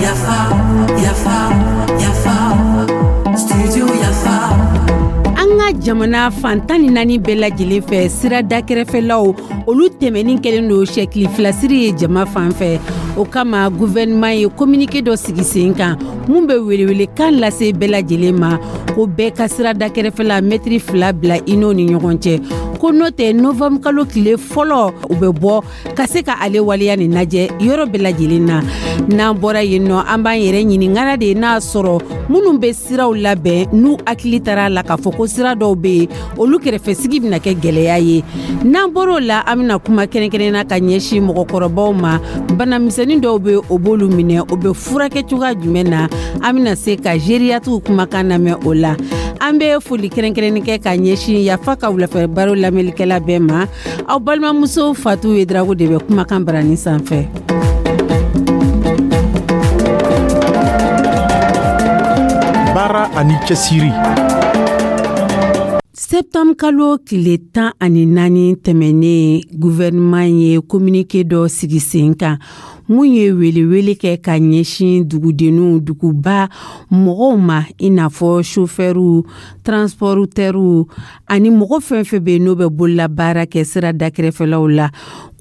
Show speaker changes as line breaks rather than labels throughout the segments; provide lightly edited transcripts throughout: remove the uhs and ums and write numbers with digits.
Yafa, yafa, yafa, studio Yafa.
An ka jamana fan 14 bɛɛ lajɛlen fɛ, sira dakɛrɛfɛlaw, olu tɛmɛni kɛlen don sɛkili filasiri ye jama fan fɛ. O kama, gouvernement ye communiqué dɔ sigi sen kan mun bɛ welewelekan lase bɛɛ lajɛlen ma ko bɛɛ ka sira dakɛrɛfɛla mɛtiri 2 bila i n'o ni ɲɔgɔn cɛ, ko n'o tɛ, novembre kalo tile fɔlɔ, u bɛ bɔ ka se ka ale waleya nin lajɛ yɔrɔ bɛɛ lajɛlen na. N'an bɔra yen nɔ, an b'an yɛrɛ ɲininkara de n'a sɔrɔ minnu bɛ siraw labɛn, n'u hakili taara la k'a fɔ ko sira dɔw bɛ yen, olu kɛrɛfɛsigi bɛna kɛ gɛlɛya ye. N'an bɔr'o la, an bɛna kuma kɛrɛnkɛrɛnna ka ɲɛsin mɔgɔkɔrɔbaw ma. Banamisɛnnin dɔw bɛ, o b'olu minɛ, o bɛ furakɛ cogoya jumɛn na? An bɛna se ka gériatrew kumakan lamɛn o la. An bɛ foli kɛrɛnkɛrɛnni kɛ ka ɲɛsin Yafa ka wulafɛ baro lamɛnlikɛla bɛɛ ma. Aw balimamuso Fatu Yedrago de bɛ kumakan barani sanfɛ.
Baara ani cɛsiri.
Septembre kalo tile 14 tɛmɛnen, gouvernement ye communiqué dɔ sigi sen kan mun ye welewele kɛ ka ɲɛsin dugudenninw, duguba mɔgɔw ma, i n'a fɔ chauffeurw, transporteurw ani mɔgɔ fɛn fɛn bɛ yen n'o bɛ bololabaara kɛ sira dakɛrɛfɛlaw la,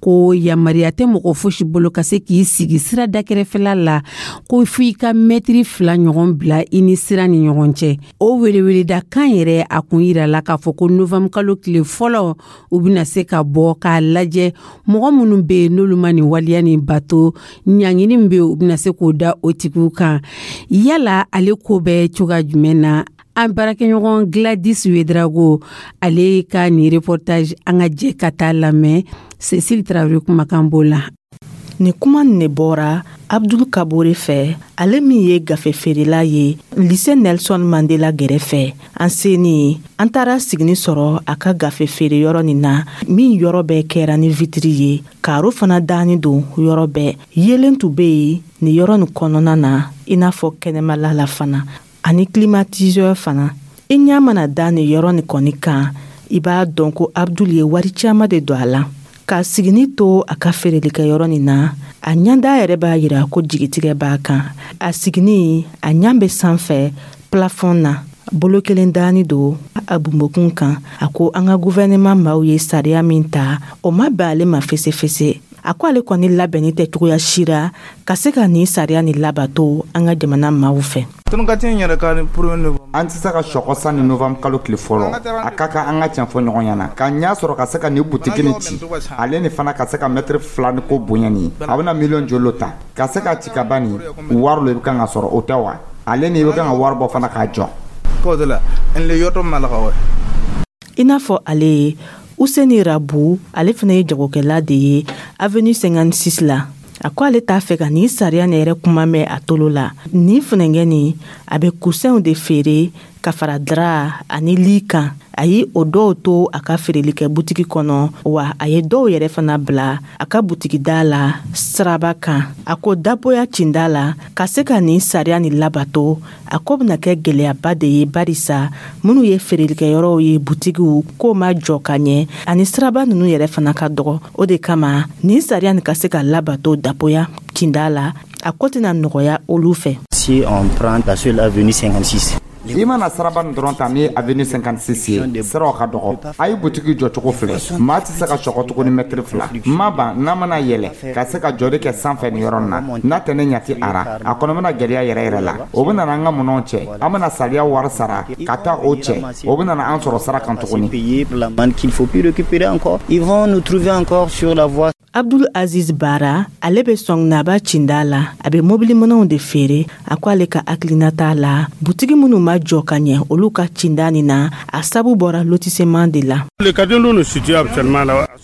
ko yamaruya tɛ mɔgɔ fosi bolo ka se k'i sigi sira dakɛrɛfɛla la, ko fo i ka mɛtiri 2 ɲɔgɔn bila i ni sira ni ɲɔgɔn cɛ. O weleweleda kan yɛrɛ, a kun yirala k'a fɔ ko novembre kalo tile fɔlɔ, u bɛna se ka bɔ k'a lajɛ mɔgɔ minnu bɛ yen n'olu ma nin waleya nin bato, ɲangini min bɛ yen, u bɛna se k'o da o tigiw kan. Yala ale ko bɛ cogoya jumɛn na? An baarakɛɲɔgɔn Gladys Wedrago, ale ka nin reportage, an ka jɛ ka taa lamɛn. Cécile Traoré kumakan b'o la.
Nin kuma nin de bɔra Abdul Kabore fɛ, ale min ye gafe feerela ye lycée Nelson Mandela gɛrɛfɛ. An seni, an taara sigini sɔrɔ a ka gafe feere yɔrɔ nin na, min yɔrɔ bɛɛ kɛra ni vitiri ye, karo fana danni don yɔrɔ bɛɛ. Yeelen tun bɛ yen nin yɔrɔ nin kɔnɔna na, i n'a fɔ kɛnɛmala la fana, ani climatiseur fana. I ɲɛ mana da nin yɔrɔ nin kɔni kan, i b'a dɔn ko Abdul ye wari caman de don a la. Ka sigini to a ka feerelikɛyɔrɔ nin na, a ɲɛda yɛrɛ b'a yira ko jigitigɛ b'a kan. A sigini, a ɲɛ bɛ sanfɛ plafond na, bolo kelen dani don a bunbokun kan. A ko an ka gouvernement maaw ye sariya min ta, o ma bɛn ale ma fesefese. A ko ale kɔni labɛnni tɛ cogoya si la ka se ka nin sariya nin labato an ka jamana maaw fɛ.
An tɛ se ka sɔkɔ san ni novembre kalo tile fɔlɔ. A ka kan an ka tiɲɛ fɔ ɲɔgɔn ɲɛna ka ɲɛ sɔrɔ ka se ka nin butigi nin ci, ale ni fana ka se ka mɛtiri 2 ni ko bonya nin, a bɛna miliyɔn joli ta ka se ka ci ka ban? Nin wari lo i bɛ kan ka sɔrɔ, o tɛ wa? Ale ni i bɛ kan ka wari bɔ fana k'a jɔ.
I n'a fɔ ale ye, Useni Rabu, ale fana ye jagokɛla de ye avenue 56 la. A ko ale t'a fɛ ka nin sariya nin yɛrɛ kuma mɛn a tolo la. Nin funɛnkɛ nin, a bɛ cousinw de feere ka fara drap ani lit kan. A ye o dɔw to a ka feerelikɛ butigi kɔnɔ, wa a ye dɔw yɛrɛ fana bila a ka butigi da la siraba kan. A ko daboya cinda la ka se ka nin sariya nin labato, a ko bɛna kɛ gɛlɛyaba de ye, barisa minnu ye feerelikɛyɔrɔw ye, butigiw k'o ma jɔ ka ɲɛ, ani siraba ninnu yɛrɛ fana ka dɔgɔ. O de kama, nin sariya nin ka se ka labato daboya cinda la, a ko tɛna nɔgɔya olu fɛ.
Si on prend la seule avenue 56,
I mana siraba nin dɔrɔn ta min ye avenue 56 ye, siraw ka dɔgɔ. A ye butigi jɔcogo filɛ, maa tɛ se ka sɔgɔ tuguni mɛtiri 2 ma ban. N'a mana yɛlɛ ka se ka jɔli kɛ sanfɛ nin yɔrɔ nin na, n'a tɛ ne ɲati ara, a kɔnɔ bɛna gɛlɛya yɛrɛ yɛrɛ la. O bɛ nana an ka minɛnw cɛ, an bɛna sariya wari sara ka taa o cɛ, o bɛ nana an sɔrɔ sira kan tuguni.
Payer pour l'amende qu'il faut plus récupérer encore. Ils vont nous trouver encore sur la voie.
Abdul Aziz Bara, ale bɛ Sɔnginaba cinda la, a bɛ mobili minɛnw de feere. A ko ale ka hakilina t'a la, butigi minnu ma jɔ ka ɲɛ olu ka cinda nin na, a sabu bɔra lotissement de la.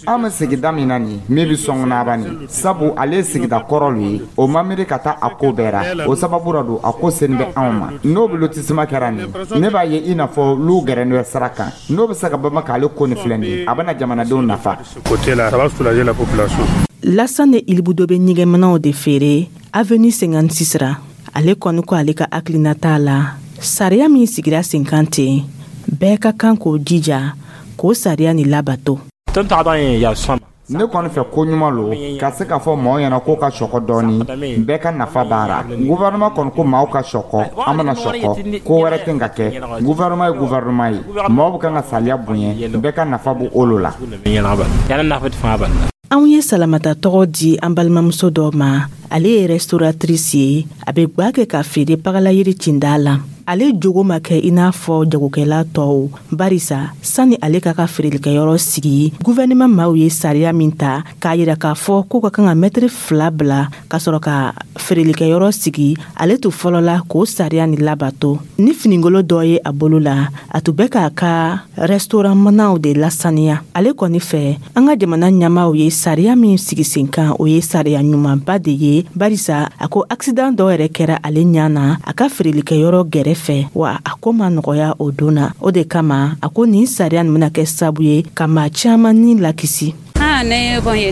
An bɛ sigida min na nin min bɛ Sɔnginaba nin, sabu ale ye sigida kɔrɔ lu ye, o ma miiri ka taa a ko bɛɛ ra. O sababu ra don a ko sen bɛ anw ma. N'o bɛ lotissement kɛra nin, ne b'a ye i n'a fɔ lu gɛrɛnen bɛ sira kan. N'o bɛ se ka bama k'ale ko nin filɛ nin ye, a bɛna jamanadenw nafa.
Lasane Ilibudo bɛ ɲɛgɛnminɛnw de feere avenue 56 ra. Ale kɔni ko ale ka hakilina t'a la, sariya min sigira sen kan ten, bɛɛ ka kan k'o jija k'o sariya nin labato.
Ne kɔni fɛ, ko ɲuman lo ka se k'a fɔ maaw ɲɛna k'o ka sɔkɔ dɔɔni, bɛɛ ka nafa b'a ra. Gouvernement kɔni ko maaw ka sɔkɔ, an bɛna sɔkɔ, ko wɛrɛ tɛ ka kɛ. Gouvernement ye gouvernement ye, maaw bɛ kan ka saliya bonya, bɛɛ ka nafa b'o olu la.
Anw ye Salamata tɔgɔ di an balimamuso dɔ ma. Ale ye restauratrice ye, a bɛ gwa kɛ ka feere Pagalayiri cinda la. Ale jogo ma kɛ i n'a fɔ jagokɛla tɔw, barisa sani ale ka feerelikɛyɔrɔ sigi, guvɛnɛman maaw ye sariya min ta k'a yira k'a fɔ k'u ka kan ka mɛtiri 2 bila ka sɔrɔ ka feerelikɛyɔrɔ sigi, ale tun fɔlɔla k'o sariya ni labato. Ni finigolo dɔ ye a bolo la, a tun bɛ k'a ka restaurant manaw de lasaniya. Ale kɔni fɛ, an ka jamana ɲɛmaaw ye sariya min sigi sen kan, o ye sariya ɲumanba de ye, barisa a ko accident dɔ yɛrɛ kɛra ale ɲɛ na a ka feerelikɛyɔrɔ gɛrɛfɛ, wa a ko ma nɔgɔya o don na. O de kama a ko nin sariya nin bɛna kɛ sababu ye ka maa caman ni lakisi.
O y'a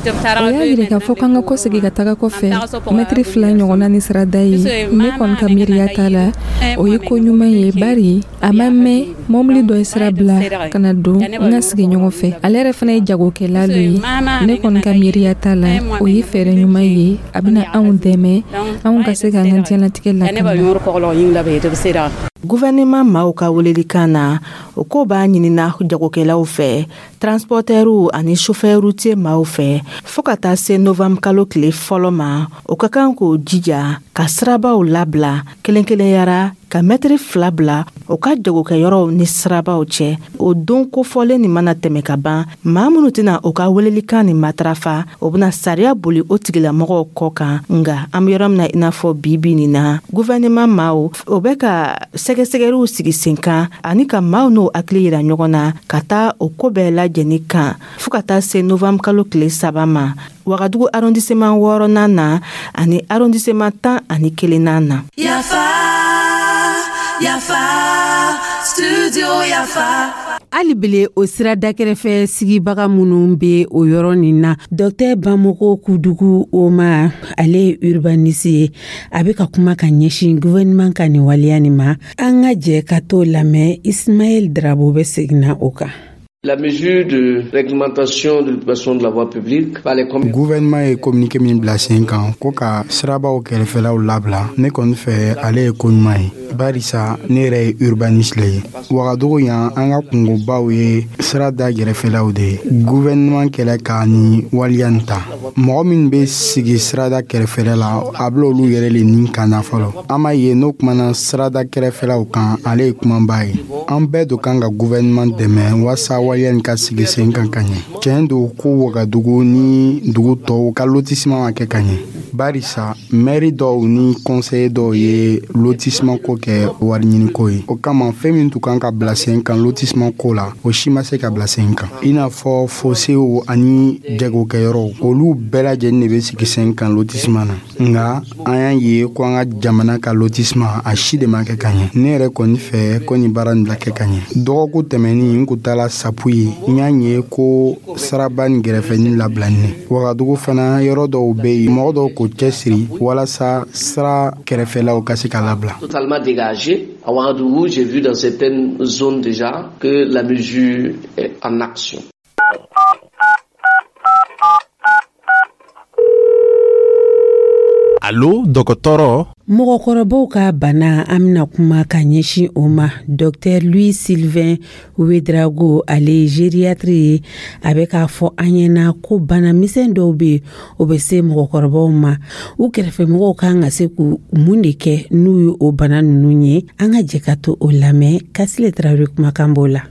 yira k'a fɔ k'an ka kɔsegi ka taga kɔfɛ mɛtiri 2 ɲɔgɔnna ni sirada ye. Ne kɔni ka miiriya t'a la, o ye ko ɲuman ye, bari a ma mɛn, mɔbili dɔ ye sira bila ka na don n ka sigiɲɔgɔn fɛ. Ale yɛrɛ fana ye jagokɛla lo ye. Ne kɔni ka miiriya t'a la, o ye fɛɛrɛ ɲuman ye, a bɛna anw dɛmɛ anw ka se k'an ka diɲɛlatigɛ lakana.
Gouvernement maaw ka welelikan na, o ko b'a ɲinina jagokɛlaw fɛ, transportɛriw ani chauffeur routier maaw fɛ, fɔɔ ka taa se novembre kalo tile fɔlɔ ma, o ka kan k'o jija ka sirabaw labila kelen kelenyara, ka mɛtiri 2 bila o ka jagokɛyɔrɔw ni sirabaw cɛ. O don kofɔlen nin mana tɛmɛ ka ban, maa minnu tɛna o ka welelikan nin matarafa, o bɛna sariya boli o tigilamɔgɔw kɔ kan. Nga an bɛ yɔrɔ min na i n'a fɔ bi bi nin na, gouvernement maaw o bɛ ka sɛgɛsɛgɛliw sigi sen kan ani ka maaw n'o hakili yira ɲɔgɔn na ka taa o ko bɛɛ lajɛni kan, fɔɔ ka taa se novembre kalo tile 3 ma, Wagadugu arrondissement 6nan na ani arrondissement 11nan na.
Yafa, Yafa, Studio Yafa.
Hali bele, o sira dakɛrɛfɛ sigibaga minnu be o yɔrɔ nin na, Dɔktɛr Bamɔgɔ Kudugu Oma, ale ye urbaniste ye, a be ka kuma ka ɲɛsin gouvernement ka nin waleya nin ma. An ka jɛ ka t'o lamɛn. Ismaɛl Drabo bɛ seginna o kan.
La mesure de réglementation de l'occupation de la voie publique par les
Gouvernement ye communiqué min bila sen kan ko ka sirabaw kɛrɛfɛlaw labila, ne kɔni fɛ, ale ye ko ɲuman ye, barisa ne yɛrɛ ye urbaniste le ye. Wagadugu yan, an ka kungobaw ye sira da gɛrɛfɛlaw de ye. Gouvernement kɛlɛ ka ni waleya nin ta, mɔgɔ min bɛ sigi sirada kɛrɛfɛla la, a bila olu yɛrɛ le nin kan na fɔlɔ. An b'a ye n'o kumana sirada kɛrɛfɛlaw kan, ale ye kumaba ye. An bɛɛ do kan ka gouvernement dɛmɛ walasa waleya nin ka sigi sen kan ka ɲɛ. Tiɲɛ don ko Wagadugu ni dugu tɔw ka lotissement ma kɛ ka ɲɛ, barisa mɛri dɔw ni conseiller dɔw ye lotissement ko kɛ wari ɲiniko ye. O kama, fɛn min tun kan ka bila sen kan lotissement ko la, o si ma se ka bila sen kan, i n'a fɔ fosew ani jagokɛyɔrɔw, olu bɛɛ lajɛlen de bɛ sigi sen kan lotissement na. Nga an y'a ye ko an ka jamana ka lotissement, a si de ma kɛ ka ɲɛ. Ne yɛrɛ kɔni fɛ ko nin baara nin bila kɛ ka ɲɛ. Dɔgɔkun tɛmɛnin, n kun taala Sapu ye, n y'a ye ko saraba ni gɛrɛfɛni labilani. Wagadugu fana, yɔrɔ dɔw bɛ yen, mɔgɔ dɔw k'o cɛsiri walasa sira kɛrɛfɛlaw ka se ka labila.
Totalement dégagé. À Ouagadougou, j'ai vu dans certaines zones déjà que la mesure est en action.
Alo, dɔgɔtɔrɔ.
Mɔgɔkɔrɔbaw ka bana, an bɛna kuma ka ɲɛsin o ma. Dr Louis Sylvain Ouedraogo, ale ye gériatre ye, a bɛ k'a fɔ an ɲɛna ko bana misɛn dɔw bɛ yen, o bɛ se mɔgɔkɔrɔbaw ma. U kɛrɛfɛmɔgɔw kan ka se k'u mun de kɛ n'u ye o bana ninnu ye? An ka jɛ ka to o lamɛn. Kasile Tarawele kumakan b'o la.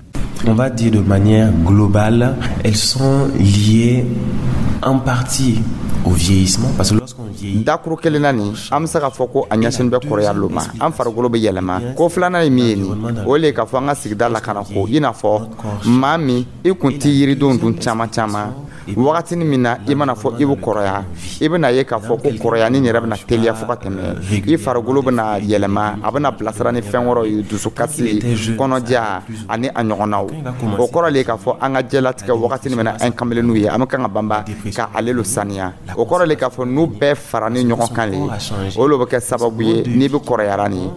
On va dire de manière globale, elles sont liées en partie au vieillissement, parce que lorsqu'on vieillit,
Dakuru kelen na nin, an bɛ se k'a fɔ ko a ɲɛsin bɛ kɔrɔya lo ma, an farikolo bɛ yɛlɛma. Ko filanan ye min ye nin, o le k'a fɔ an ka sigida lakana ko, i n'a fɔ maa min i kun ti yiridenw dun caman caman, wagatini min na i mana fɔ i bɛ kɔrɔya, i bɛna ye k'a fɔ ko kɔrɔya ni yɛrɛ bɛna teliya fo ka tɛmɛ. I farikolo bɛna yɛlɛma, a bɛna bilasira ni fɛn wɛrɛw ye, dusukasi, kɔnɔja ani a ɲɔgɔnnaw. O kɔrɔ le k'a fɔ an ka jɛlatigɛ wagatini min na an kamelenw ye, an bɛ kan ka banba ka ale lo saniya. O kɔrɔ le k'a fɔ n'u bɛɛ fara farani ɲɔgɔn kan le, o le bɛ kɛ sababu ye n'i bɛ kɔrɔyara nin,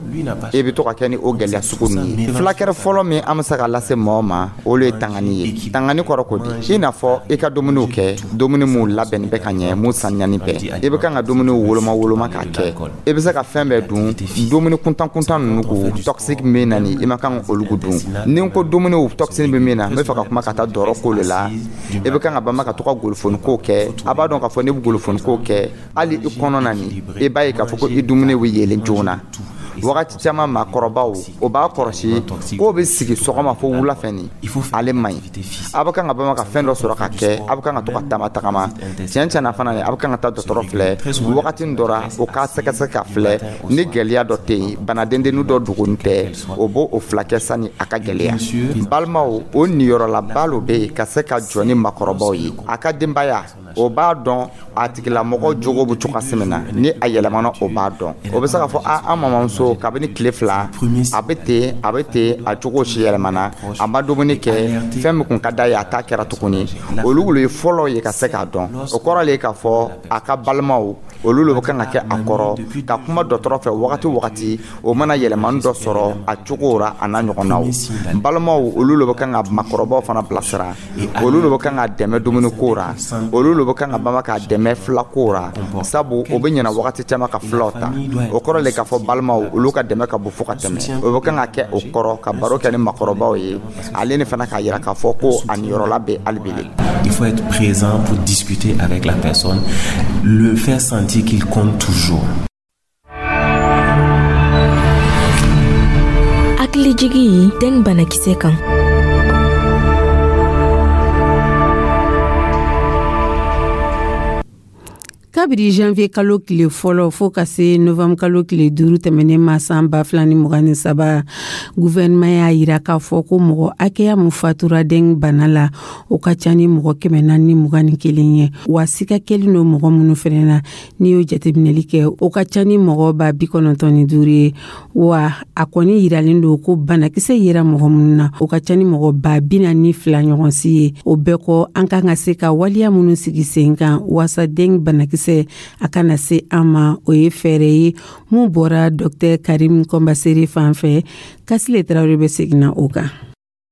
i bɛ to ka kɛ ni o gɛlɛya sugu ninnu ye. Fulakɛrɛ fɔlɔ min an bɛ se ka lase mɔgɔ ma, o le ye tangani ye. Tangani kɔrɔ ko di? I n'a fɔ i ka dumuniw kɛ, dumuni mun labɛnni bɛ ka ɲɛ, mun saniyani bɛɛ. I bɛ kan ka dumuniw woloma woloma k'a kɛ. I bɛ se ka fɛn bɛɛ dun, dumuni kuntan kuntan ninnu ko toxique min na nin, i ma kan olu dun. Ni n ko dumuniw toxine bɛ min na, n bɛ fɛ ka kuma ka taa dɔrɔ ko le la. I bɛ kan ka banba ka to ka golofoni ko kɛ. A b'a dɔn k'a fɔ n'i bɛ golofoni ko kɛ, hali i kɔnɔ na nin, i b'a ye k'a fɔ ko i dumuni bɛ yeelen joona. Wagati caman, maakɔrɔbaw o b'a kɔlɔsi k'o bɛ sigi sɔgɔma fo wula fɛ nin, ale man ɲi. A bɛ kan ka bama ka fɛn dɔ sɔrɔ ka kɛ, a bɛ kan ka to ka taama tagama. Tiɲɛ tiɲɛ na fana, a bɛ kan ka taa dɔgɔtɔrɔ filɛ wagati dɔ ra, o k'a sɛgɛsɛgɛ ka filɛ ni gɛlɛya dɔ tɛ yen, bana dendennin dɔ dogonin tɛ, o b'o o filakɛ sani a ka gɛlɛya. Balimaw, o niyɔrɔlaba lo bɛ yen ka se ka jɔ ni maakɔrɔbaw ye. A ka denbaya o b'a dɔn a tigilamɔgɔ jogo bɛ cogoya min na, ni a yɛlɛmana, o b'a dɔn. O bɛ se k'a fɔ a an mamamuso, kabini tile 2 a bɛ ten, a bɛ ten, a cogo si yɛlɛmana, a ma dumuni kɛ, fɛn min kun ka d'a ye a t'a kɛra tuguni. Olu ye fɔlɔ ye ka se k'a dɔn. O kɔrɔ le k'a fɔ a ka balimaw, olu le bɛ kan ka kɛ a kɔrɔ ka kuma dɔgɔtɔrɔ fɛ wagati wagati o mana yɛlɛmani dɔ sɔrɔ a cogo ra, a n'a ɲɔgɔnnaw. Balimaw, olu le bɛ kan ka maakɔrɔbaw fana bilasira. Olu le bɛ kan ka dɛmɛ dumuni ko ra, olu le bɛ kan ka bama k'a dɛmɛ filako ra, sabu o bɛ ɲɛna wagati caman ka filaw ta. O kɔrɔ le k'a fɔ balimaw, olu ka dɛmɛ ka bon fo ka tɛmɛ. O bɛ kan ka kɛ o kɔrɔ ka baro kɛ ni maakɔrɔbaw ye, ale ni fana k'a yira k'a fɔ ko a niyɔrɔla bɛ hali bi.
Il faut être présent pour discuter avec la personne, le faire sentir qu'il compte toujours.
Hakilijigi dengue banakisɛ kan.
Kabiri janvier kalo tile fɔlɔ fo ka se novembre kalo tile 5 tɛmɛnen ma san 2023, gouvernement y'a yira k'a fɔ ko mɔgɔ hakɛya min fatura dengue bana la, o ka ca ni mɔgɔ 421 ye. Wa sika kɛlen don mɔgɔ minnu fɛnɛ na, n'i y'o jateminɛli kɛ, o ka ca ni mɔgɔ 95 ye. Wa a kɔni yiralen don ko banakisɛ yera mɔgɔ minnu na, o ka ca ni mɔgɔ 42 ɲɔgɔn si ye. O bɛɛ kɔ, an kan ka se ka waleya minnu sigi sen kan waasa dengue banakisɛ a kana se an ma, o ye fɛɛrɛ ye mun bɔra Dr Karim Kɔnbasere fan fɛ. Kasile Tarawele bɛ seginna o kan.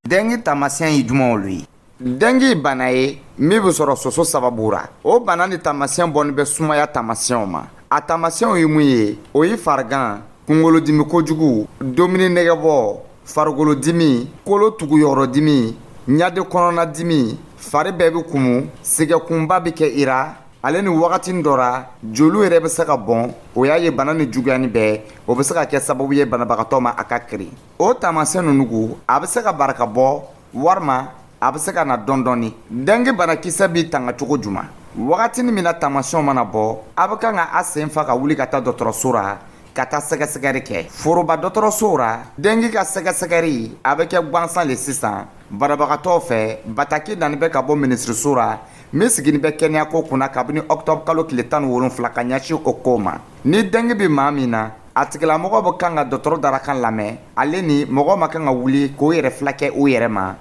Dengue taamasiyɛn ye jumɛnw olu ye? Dengue bana ye min bɛ sɔrɔ soso sababu ra. O bana ni taamasiyɛn bɔnni bɛ sumaya taamasiyɛnw ma. A taamasiyɛnw ye mun ye? O ye farigan, kunkolodimi kojugu, dumuni nɛgɛbɔ, farikolodimi, kolo tuguyɔrɔdimi, ɲade kɔnɔnadimi, fari bɛɛ bɛ kumu, sɛgɛkunba bɛ kɛ i ra. Ale ni wagati dɔ ra, joliw yɛrɛ bɛ se ka bɔn. O y'a ye bana ni juguyani bɛɛ, o bɛ se ka kɛ sababu ye banabagatɔ ma a ka kirin. O taamasiyɛn ninnu ko, a bɛ se ka barika bɔ walima a bɛ se ka na dɔɔni dɔɔni. Dengue banakisɛ b'i tanga cogo jumɛn? Wagati min na taamasiyɛnw mana bɔ, a bɛ kan ka a sen fa ka wuli ka taa dɔgɔtɔrɔso ra ka taa sɛgɛsɛgɛli kɛ. Foroba dɔgɔtɔrɔso ra, dengue ka sɛgɛsɛgɛli a bɛ kɛ gansan le sisan banabagatɔw fɛ. Bataki nani bɛ ka bɔ minisiriso ra min sigini bɛ kɛnɛyako kunna kabini octobre kalo tile 17 ka ɲɛsin o ko ma. Ni dengue bɛ maa min na, a tigilamɔgɔ bɛ kan ka dɔgɔtɔrɔ darakan lamɛn. Ale ni mɔgɔ ma kan ka wuli k'o yɛrɛ filakɛ o yɛrɛ ma,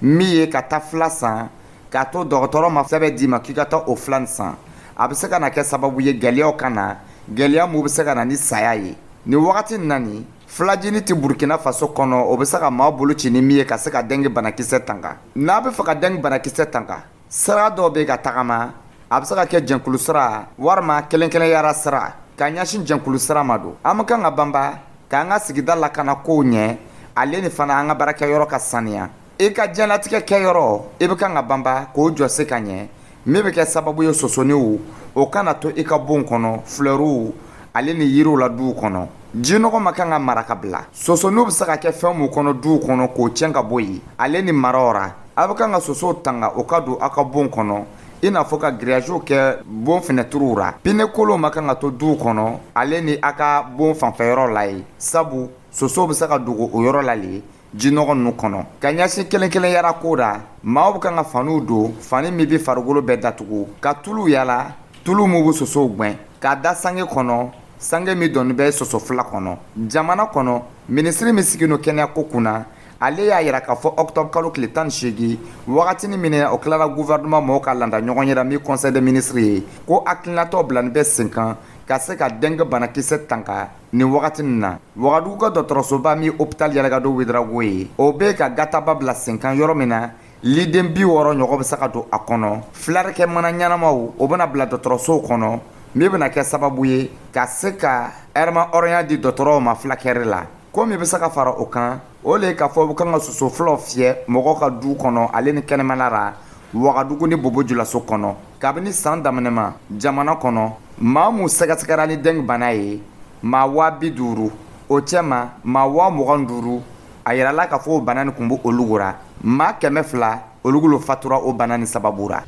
min ye ka taa fila san k'a to dɔgɔtɔrɔ ma sɛbɛn d'i ma k'i ka taa o fila san. A bɛ se ka na kɛ sababu ye gɛlɛyaw ka na, gɛlɛya mun bɛ se ka na ni saya ye. Nin wagati in na nin, filajini tɛ Burkina Faso kɔnɔ, o bɛ se ka maa bolo ci ni min ye ka se ka dengue banakisɛ tanga. N'a bɛ fɛ ka dengue banakisɛ tanga, sira dɔw bɛ ka tagama, a bɛ se ka kɛ jɛnkulu sira walima kelen-kelenyara sira. Ka ɲɛsin jɛnkulu sira ma don, an bɛ kan ka banba k'an ka sigida lakana kow ɲɛ, ale ni fana an ka baarakɛyɔrɔ ka saniya. I ka diɲɛlatigɛ kɛyɔrɔ, i bɛ kan ka banba k'o jɔ se ka ɲɛ, min bɛ kɛ sababu ye sosoniw o kana to i ka bon kɔnɔ, flɛriw ale ni yiriw la duw kɔnɔ. Jinɔgɔ ma kan ka mara ka bila. Sosoniw bɛ se ka kɛ fɛn mun kɔnɔ duw kɔnɔ k'o tiɲɛ ka bɔ yen, ale ni maraw ra. A bɛ kan ka sosow tanga o ka don aw ka bon kɔnɔ, i n'a fɔ ka grillage kɛ bon fenɛtiriw ra. Pneu kolonw ma kan ka to duw kɔnɔ, ale ni aw ka bon fanfɛyɔrɔ la ye, sabu sosow bɛ se ka dogo o yɔrɔ la le jinɔgɔ ninnu kɔnɔ. Ka ɲɛsin kelen kelenyara ko ra, maaw bɛ kan ka faniw don, fani min bɛ farikolo bɛɛ datugu, ka tulu yala, tulu min bɛ sosow gɛn, k'a da sange kɔnɔ, sange min dɔnni bɛ soso fila kɔnɔ. Jamana kɔnɔ, minisiri min sigilen don kɛnɛyako kunna, Ale y'a yira k'a fɔ octobre kalo tile 18, wagatini min o tilara gouvernement mɔgɔw ka landa ɲɔgɔn yɛrɛ min conseil des ministres ye, ko hakilinatɔ bilani bɛ sen kan ka se ka dengue banakisɛ tanka nin wagati nin na. Wagadugu ka dɔgɔtɔrɔsoba min hôpital Yalagado Ouédraogo ye, o bɛ ka gataba bila sen kan yɔrɔ min na liden 60 ɲɔgɔn bɛ se ka don a kɔnɔ. Filarikɛ mana ɲɛnamaw, o bɛna bila dɔgɔtɔrɔsow kɔnɔ, min bɛna kɛ sababu ye ka se ka ɛrɛma hɔrɔnya di dɔgɔtɔrɔw ma fulakɛri la. Ko min bɛ se ka fara o kan, o le k'a fɔ u kan ka soso fulaw fiyɛ mɔgɔw ka du kɔnɔ ale ni kɛnɛmana la Wagadugu ni Bobo Julaso kɔnɔ. Kabini san daminɛma jamana kɔnɔ, maa mun sɛgɛsɛgɛra ni dengue bana ye, maa 50 000, o cɛma maa 25 000, a yirala k'a fɔ o bana nin kun bɛ olu ra. Maa 200, olu fatura o bana nin sababu ra.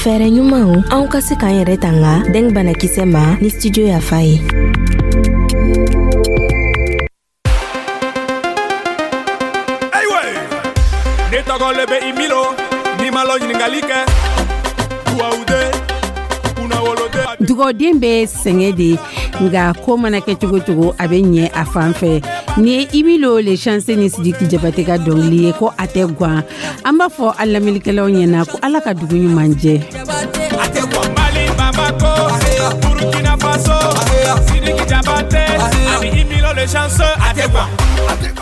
Fɛɛrɛ ɲumanw anw ka se k'an yɛrɛ tanga dengue banakisɛ ma ni studio Yafa ye.
Ayiwa, ne tɔgɔ le bɛ Imilo, ni ma lɔ ɲininkali kɛ duwawuden kunnawoloden.
Dugawuden bɛ sɛgɛn de, nka ko mana kɛ cogo cogo, a bɛ ɲɛ a fan fɛ. Nin ye Imilo le chanceux ni Sidiki Jabate ka dɔnkili ye ko a tɛ gan. An b'a fɔ an lamɛnnikɛlaw ɲɛna ko Ala ka dugu ɲuman jɛ.
Mali, Bamako, Burkina Faso, Sidiki Jabate ani Imilo le chanceux, a tɛ gan.